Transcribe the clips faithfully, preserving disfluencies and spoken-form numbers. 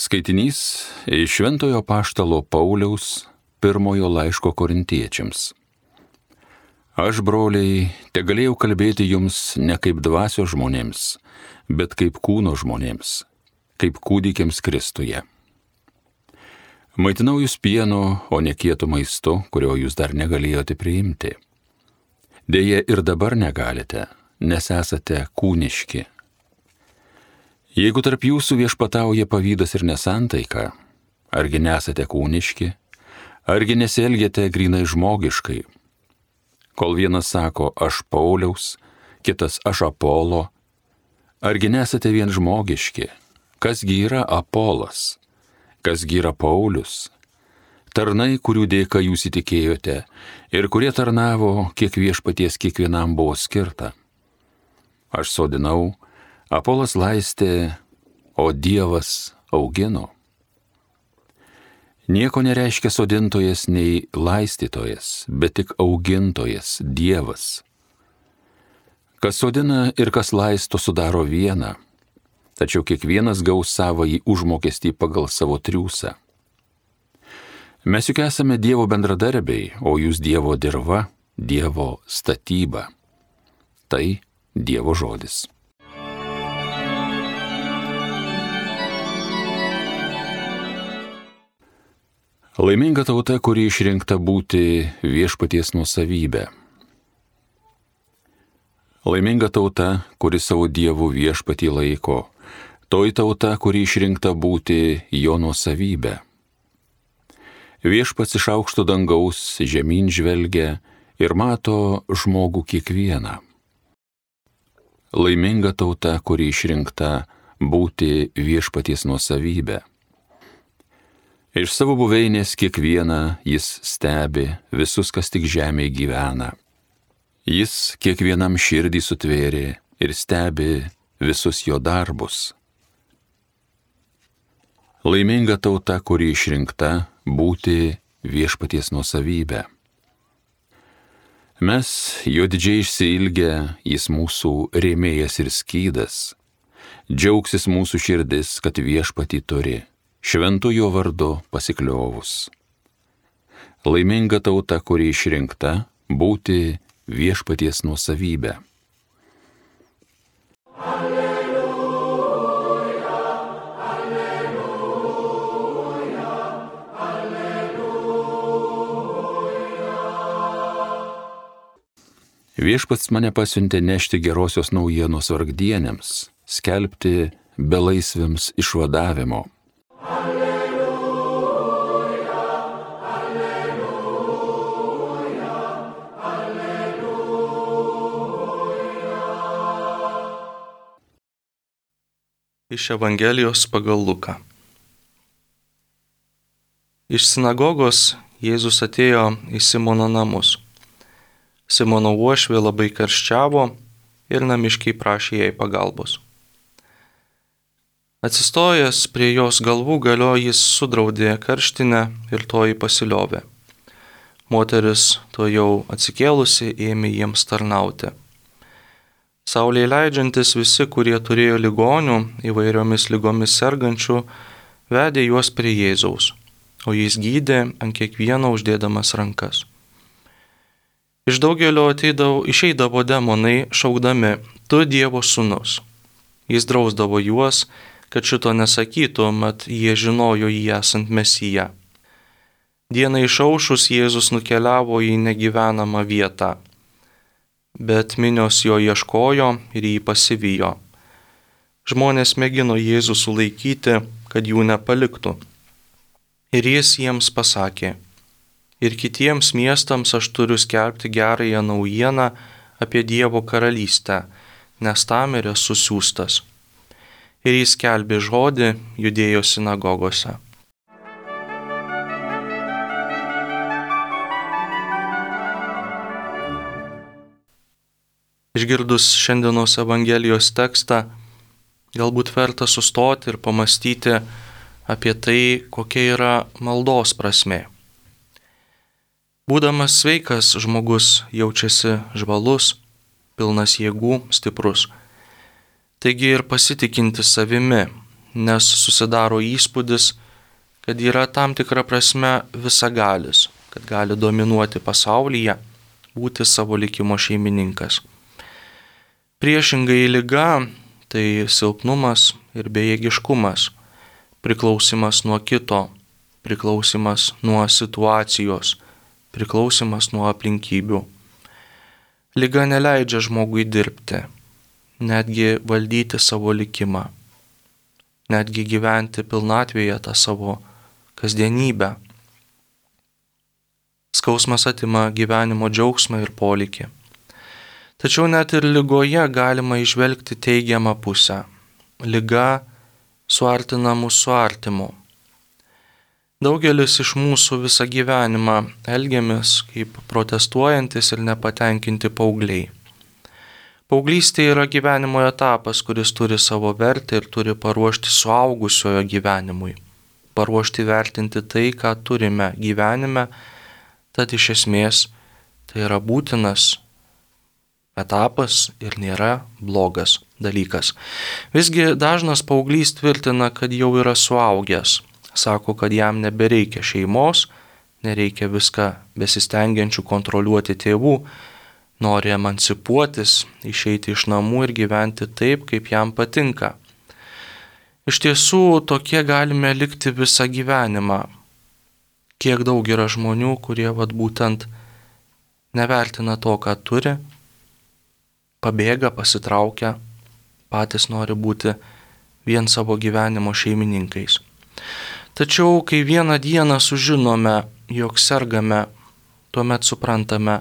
Skaitinys iš Šventojo apaštalo Pauliaus pirmojo laiško korintiečiams. Aš, broliai, tegalėjau kalbėti jums ne kaip dvasios žmonėms, bet kaip kūno žmonėms, kaip kūdikiams Kristuje. Maitinau jūs pieno, o ne kietų maistu, kurio jūs dar negalėjote priimti. Deja, ir dabar negalite, nes esate kūniški. Jeigu tarp jūsų viešpatauja pavydas ir nesantaika, argi nesate kūniški, argi nesielgiate grynai žmogiškai? Kol vienas sako, aš Pauliaus, kitas aš Apolo, argi nesate vien žmogiški? Kasgi yra Apolas? Kasgi yra Paulius? Tarnai, kurių dėka jūs įtikėjote ir kurie tarnavo, kiek viešpaties kiekvienam buvo skirta. Aš sodinau, Apolas laistė, o Dievas augino. Nieko nereiškia sodintojas nei laistytojas, bet tik augintojas, Dievas. Kas sodina ir kas laisto sudaro vieną, tačiau kiekvienas gaus savąjį užmokestį pagal savo triūsą. Mes juk esame Dievo bendradarbiai, o jūs Dievo dirva, Dievo statyba. Tai Dievo žodis. Laiminga tauta, kuri išrinkta būti viešpaties nuosavybė. Laiminga tauta, kuri savo dievų viešpatį laiko, toji tauta, kuri išrinkta būti jo nuosavybė. Viešpats iš aukšto dangaus žemyn žvelgia ir mato žmogų kiekvieną. Laiminga tauta, kuri išrinkta būti viešpaties nuosavybė. Iš savo buveinės kiekvieną jis stebi visus, kas tik žemėje gyvena. Jis kiekvienam širdį sutvėrė ir stebi visus jo darbus. Laiminga tauta, kuri išrinkta būti viešpaties nuosavybė. Mes jo didžiai išsiilgę, jis mūsų rėmėjas ir skydas. Džiaugsis mūsų širdis, kad viešpatį turi. Šventu jo vardu pasikliovus. Laiminga tauta, kuri išrinkta būti viešpaties nuosavybė. Alleluja, alleluja, alleluja. Viešpats mane pasiuntė nešti gerosios naujienos vargdienėms, skelbti belaisviams išvadavimo. Alleluja, alleluja, alleluja. Iš Evangelijos pagal Luką. Iš sinagogos Jėzus atėjo į Simono namus. Simono uošvė labai karščiavo ir namiškiai prašė jai pagalbos. Atsistojęs prie jos galvų galio jis sudraudė karštinę ir toji pasiliovė. Moteris to jau atsikėlusi ėmė jiems tarnauti. Saulei leidžiantis visi, kurie turėjo ligonių, įvairiomis ligomis sergančių, vedė juos prie Jėzaus, o jis gydė ant kiekvieno uždėdamas rankas. Iš daugelio ateidavo, išeidavo demonai šaukdami, tu Dievo sūnus. Jis drausdavo juos, kad šito nesakytų, mat jie žinojo jį esant Mesiją. Dienai išaušus Jėzus nukeliavo į negyvenamą vietą, bet minios jo ieškojo ir jį pasivijo. Žmonės mėgino Jėzų sulaikyti, kad jų nepaliktų. Ir jis jiems pasakė, ir kitiems miestams aš turiu skelbti gerąją naujieną apie Dievo karalystę, nes tam ir esu siųstas. Ir jis skelbė žodį Judėjos sinagogose. Išgirdus šiandienos Evangelijos tekstą, galbūt verta sustoti ir pamastyti apie tai, kokia yra maldos prasmė. Būdamas sveikas, žmogus jaučiasi žvalus, pilnas jėgų, stiprus. Taigi ir pasitikinti savimi, nes susidaro įspūdis, kad yra tam tikra prasme visagalis, kad gali dominuoti pasaulyje, būti savo likimo šeimininkas. Priešingai liga tai silpnumas ir bejėgiškumas, priklausimas nuo kito, priklausimas nuo situacijos, priklausimas nuo aplinkybių. Liga neleidžia žmogui dirbti, netgi valdyti savo likimą, netgi gyventi pilnatvėje tą savo kasdienybę. Skausmas atima gyvenimo džiaugsmą ir polėkį. Tačiau net ir ligoje galima įžvelgti teigiamą pusę. Liga suartina mus su artimu. Daugelis iš mūsų visą gyvenimą elgiamės kaip protestuojantis ir nepatenkinti paaugliai. Paauglystė yra gyvenimo etapas, kuris turi savo vertę ir turi paruošti suaugusiojo gyvenimui, paruošti vertinti tai, ką turime gyvenime, tad iš esmės tai yra būtinas etapas ir nėra blogas dalykas. Visgi dažnas paauglys tvirtina, kad jau yra suaugęs. Sako, kad jam nebereikia šeimos, nereikia viską besistengiančių kontroliuoti tėvų, nori emancipuotis, išeiti iš namų ir gyventi taip, kaip jam patinka. Iš tiesų, tokie galime likti visą gyvenimą. Kiek daug yra žmonių, kurie vat būtent nevertina to, ką turi, pabėga, pasitraukia, patys nori būti vien savo gyvenimo šeimininkais. Tačiau, kai vieną dieną sužinome, jog sergame, tuomet suprantame,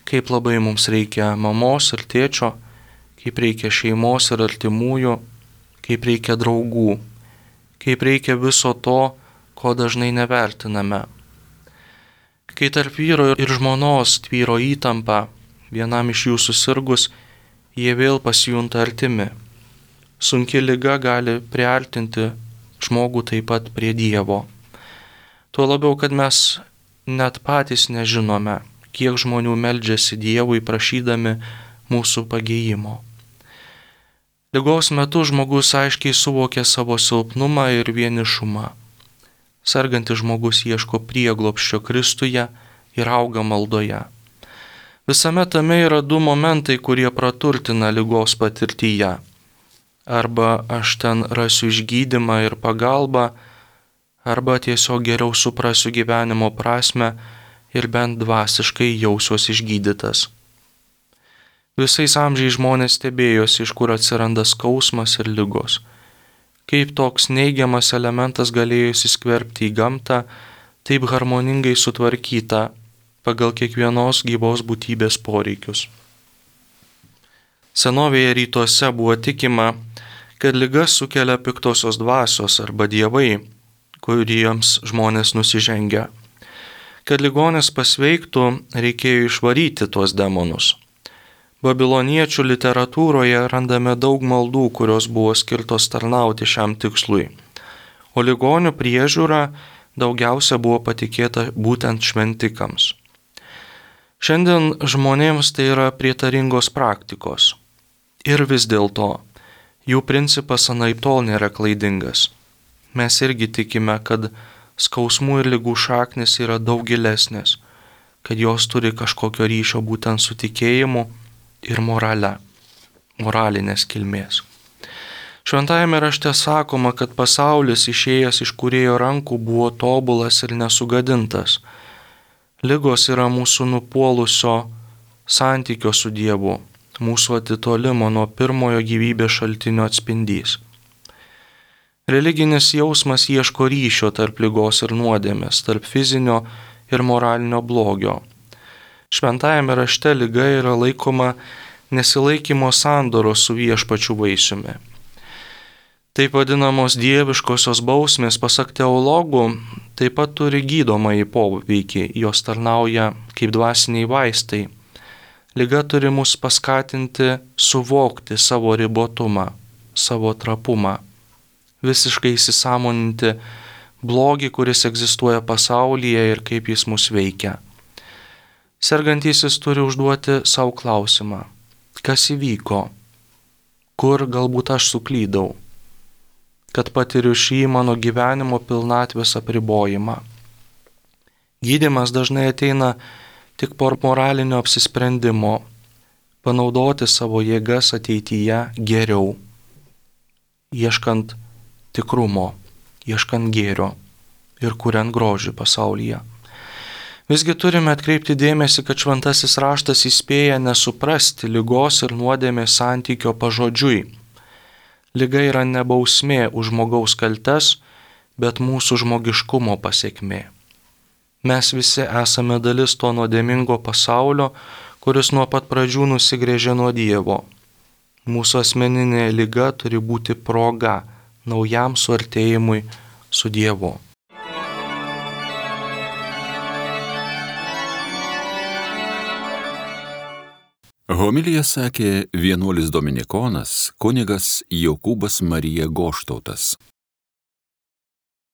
kaip labai mums reikia mamos ir tėčio, kaip reikia šeimos ir artimųjų, kaip reikia draugų, kaip reikia viso to, ko dažnai nevertiname. Kai tarp vyro ir žmonos tvyro įtampa, vienam iš jų susirgus, jie vėl pasijunta artimi. Sunki liga gali priartinti žmogų taip pat prie Dievo. Tuo labiau, kad mes net patys nežinome, kiek žmonių meldžiasi Dievui prašydami mūsų pagijimo. Ligos metu žmogus aiškiai suvokia savo silpnumą ir vienišumą. Sergantis žmogus ieško prieglobsčio Kristuje ir auga maldoje. Visame tame yra du momentai, kurie praturtina ligos patirtyje. Arba aš ten rasiu išgydymą ir pagalbą, arba tiesiog geriau suprasiu gyvenimo prasme ir bent dvasiškai jausiuosi išgydytas. Visais amžiais žmonės stebėjosi, iš kur atsiranda skausmas ir ligos. Kaip toks neigiamas elementas galėjo įsiskverbti į gamtą, taip harmoningai sutvarkyta pagal kiekvienos gyvos būtybės poreikius. Senovėje rytuose buvo tikima, kad ligas sukelia piktosios dvasios arba dievai, kuriems žmonės nusižengia. Kad ligonis pasveiktų, reikėjo išvaryti tuos demonus. Babiloniečių literatūroje randame daug maldų, kurios buvo skirtos tarnauti šiam tikslui, o ligonių priežiūra daugiausia buvo patikėta būtent šventikams. Šiandien žmonėms tai yra prietaringos praktikos. Ir vis dėlto, jų principas anaiptol nėra klaidingas. Mes irgi tikime, kad skausmų ir ligų šaknis yra daug gilesnės, kad jos turi kažkokio ryšio būtent su tikėjimu ir morale, moralinės kilmės. Šventajame rašte sakoma, kad pasaulis išėjęs iš Kūrėjo rankų buvo tobulas ir nesugadintas. Ligos yra mūsų nupuolusio santykio su Dievu, mūsų atitolimo nuo pirmojo gyvybės šaltinio atspindys. Religinis jausmas ieško ryšio tarp ligos ir nuodėmės, tarp fizinio ir moralinio blogio. Šventajame rašte liga yra laikoma nesilaikymo sandoros su viešpačiu vaisiumi. Taip vadinamos dieviškosios bausmės, pasak teologų, taip pat turi gydomąjį poveikį, jos tarnauja kaip dvasiniai vaistai. Liga turi mus paskatinti suvokti savo ribotumą, savo trapumą, visiškai įsisąmoninti blogį, kuris egzistuoja pasaulyje ir kaip jis mus veikia. Sergantysis turi užduoti savo klausimą, kas įvyko, kur galbūt aš suklydau. kad patiriu šį mano gyvenimo pilnatvės apribojimą. Gydymas dažnai ateina tik po moralinio apsisprendimo, panaudoti savo jėgas ateityje geriau, ieškant tikrumo, ieškant gėrio ir kuriant grožį pasaulyje. Visgi turime atkreipti dėmesį, kad šventasis raštas įspėja nesuprasti ligos ir nuodėmės santykio pažodžiui. Liga yra ne bausmė už žmogaus kaltes, bet mūsų žmogiškumo pasekmė. Mes visi esame dalis to nuodėmingo pasaulio, kuris nuo pat pradžių nusigręžė nuo Dievo. Mūsų asmeninė liga turi būti proga naujam suartėjimui su Dievu. Homiliją sakė vienuolis dominikonas kunigas Jokūbas Marija Goštautas.